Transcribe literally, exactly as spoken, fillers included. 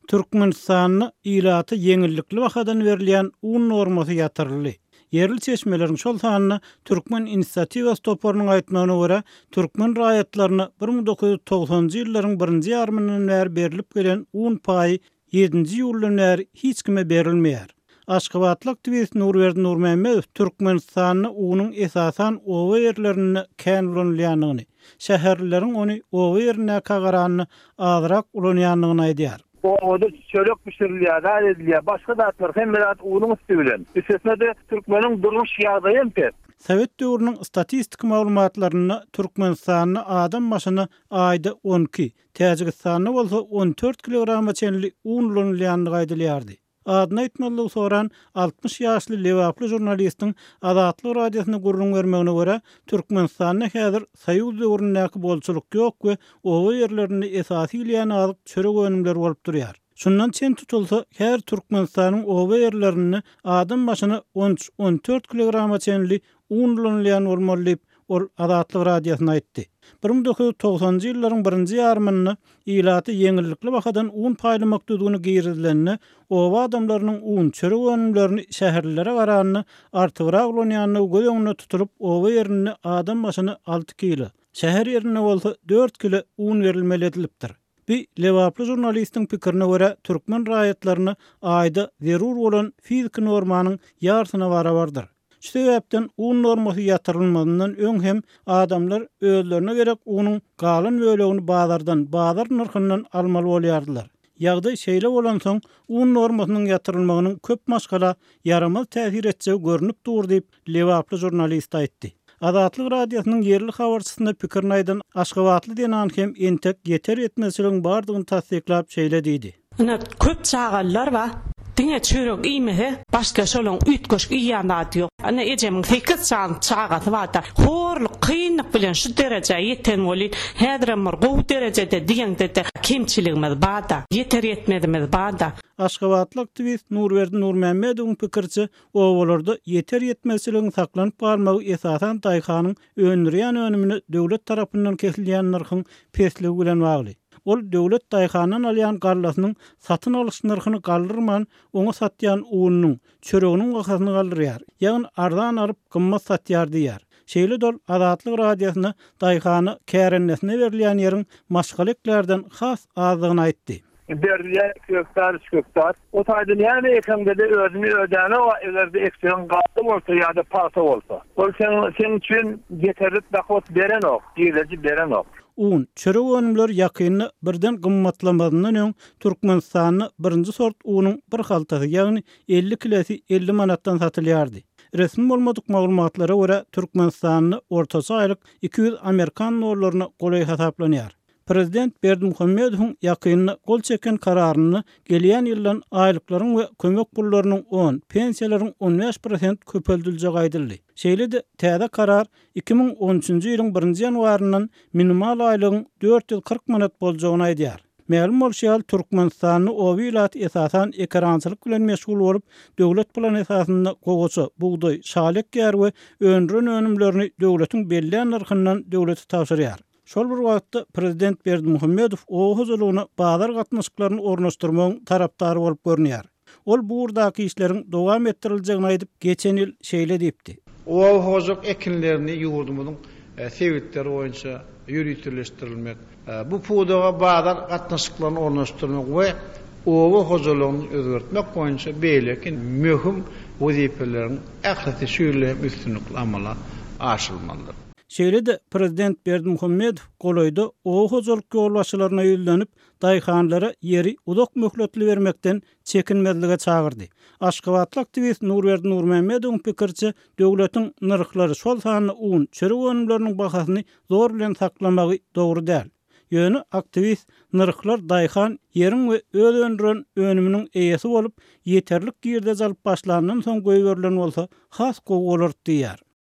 Türkmenistanda ilata ýeňillikli bahadan berilýän un normasy ýatyryldy. Ýerli çeşmeleriň, şol sanda Türkmen inisiatiwasy toparynyň aýtmagyna görä, türkmen raýatlaryna bir müň dokuz ýüz togsanjy ýyllaryň birinji ýarymyndan bäri berlip gelen un paýy ýedinji iýuldan bäri hiç kime berilmeýär. Aşgabatly aktiwist Nurberdi Nurmämmedow Türkmenistanda unuň esasan oba ýerlerinde kän ulanylýandygyny, şäherlileriň ony oba ýerindäkä garanda azrak ulanýandygyny aýdýar. Obada çörek bişirilýär, zat edilýär, başga zatlar, hemme zat unuň üsti bilen. Üstesine-de türkmeniň durmuş ýagdaýy hem pes. Sowet döwrüniň statistik maglumatlarynda Türkmenistanda adam başyna aýda on iki, Täjigistanda bolsa on dört kilograma çenli un ulanylýandygy aýdylýardy. Adyny aýtmazlygy soran altmyş ýaşly lebaply žurnalistiň Azatlyk Radiosyna gürrüň bermegine görä, Türkmenistanda häzir Soýuz döwründäki bolçulyk ýok we oba ýerlerinde esasy iýilýän azyk çörek önümleri bolup durýar. Şundan çen tutulsa, her Türkmenistanyň oba ýerlerinde adam başyna on üç, on dört kilograma çenli un ulanylýan bolmaly diýip, ol Azatlyk Radiosyna aýtdy. Bir müň dokuz ýüz togsanjy ýyllaryň birinji ýarymynda ilaty ýeňillikli bahadan un paýlamak düzgüni girizilende, oba adamlarynyň un, çörek önümlerini şäherlilere garanda artygrak ulanýandygy göz öňünde tutulyp, oba ýerinde adam başyna alty kilo, şäher ýerinde bolsa dört kilo un berilmeli edilipdir. Bi lebaply žurnalistiň pikirine görä, türkmen raýatlaryna aýda zerur bolan fiziki normanyň ýarsyna barabardyr. Şu sebäpden un normasy ýatyrylmazyndan öň hem adamlar özlerine gerek unuň galan bölegini bazardan, bazar nyrhyndan almaly bolýardylar. Ýagdaý şeýle bolansoň, un normasynyň ýatyrylmagynyň köp maşgala ýaramaz täsir etjegi görnüp dur diýip, lebaply žurnalist aýtdy. Azatlyk Radiosynyň ýerli habarçysyna pikirini aýdan Aşgabatly zenan hem entek ýeter ýetmezçiligiň bardygyny tassyklap şeýle diýdi. Ine köp çagalar bar. Diňe çörek iýmese, başga şolaň üýtgeşik iýýän zady ýok. Ine ejemiň sekiz çan çagasy bar-da, horluk, kynlyk bilen şu derejä ýeten bolýan, häzirem bir gowy derejede diýeňde-de kemçiligimiz bar-da, ýeter ýetmezimiz bar-da. Aşgabatly aktiwist Nurberdi Nurmämmedowyň pikiriçe, obalarda ýeter ýetmezçiligiň saklanyp galmagy esasan daýhanyň öndürýän önümine döwlet tarapyndan kesilýän nyrhyň pesligi bilen bagly. Ol döwlet daýhandan alýan gallasynyň satyn alyş nyrhyny galdyrman, oňa satýan ununyň, çöreginiň bahasyny galdyrýar. Ýagny arzan alyp, gymmat satýar diýýär. Şeýle dol Azatlyk Radiosyna daýhana kärennesine berilýän ýeriň maşgala eklerden has azdygyny aýtdy. Berilýän iki gektar, üç gektar. O taýda näme ekeňde-de özüni ödäne o eger-de ekseň galla bolsa ýa-da pagta bolsa. Ol seň, seň üçin ýeterlik dohod berenok, girdeji berenok. Un, çörek önümleri ýakynda birden gymmatlamazyndan öň Türkmenistanda birinji sort unuň bir haltasy, ýagny elli kilesi elli manatdan satylýardy. Resmi bolmadyk maglumatlara görä Türkmenistanda ortaça aýlyk iki ýüz amerikan dollaryna golaý hasaplanýar. Prezident Berdimuhamedowyň ýakynda gol çeken kararynda gelýän ýyldan aýlyklaryň we kömek pullarynyň on, pensiýalaryň on bäş prosent köpeldiljegi aýdyldy. Şeýle-de täze karar iki müň on üçünji ýylyň birinji ýanwaryndan minimal aýlygyň dört ýüz kyrk manat boljagyny aýdýar. Mälim bolşy ýaly, Türkmenistanda oba ilaty esasan ekerançylyk bilen meşgul bolup, döwlet plany esasynda gowaça, bugdaý, şaly ekýär we öndüren önümlerini döwletiň bellän nyrhyndan döwlete tabşyrýar. Şol bir wagtda prezident Berdimuhamedow oba hojalygyna bazar gatnaşyklaryny ornaşdyrmagyň tarapdary bolup görünýär. Ol bu ugurdaky işleriň dowam etdiriljegini aýdyp, geçen ýyl şeýle diýipdi. Oba hojalyk ekinlerini ýurdumyzyň, e, sebitleri boýunça ýöriteleşdirilmek, e, bu pudaga bazar gatnaşyklaryny ornaşdyrmak we oba hojalygyny özgertmek boýunça beýleki möhüm wezipeleriň ählisi şu ýylda hem üstünlikli amala aşyrylmalydyr. Şeýle-de prezident Berdimuhamedow golaýda oba hojalyk ýolbaşçylaryna ýüzlenip, daýhanlara ýeri uzak möhletli bermekden çekinmezlige çagyrdy. Aşgabatly aktiwist Nurberdi Nurmämmedowyň pikiriçe, döwletiň nyrhlary, şol sanda un, çörek önümleriniň bahasyny zor bilen saklamagy dogry däl. Ýöne aktiwist nyrhlar daýhan ýeriň we öz öndüren önüminiň eýesi bolup, ýeterlik girdeji alyp başlandan soň goýberilen bolsa has gowy bolar diýýär.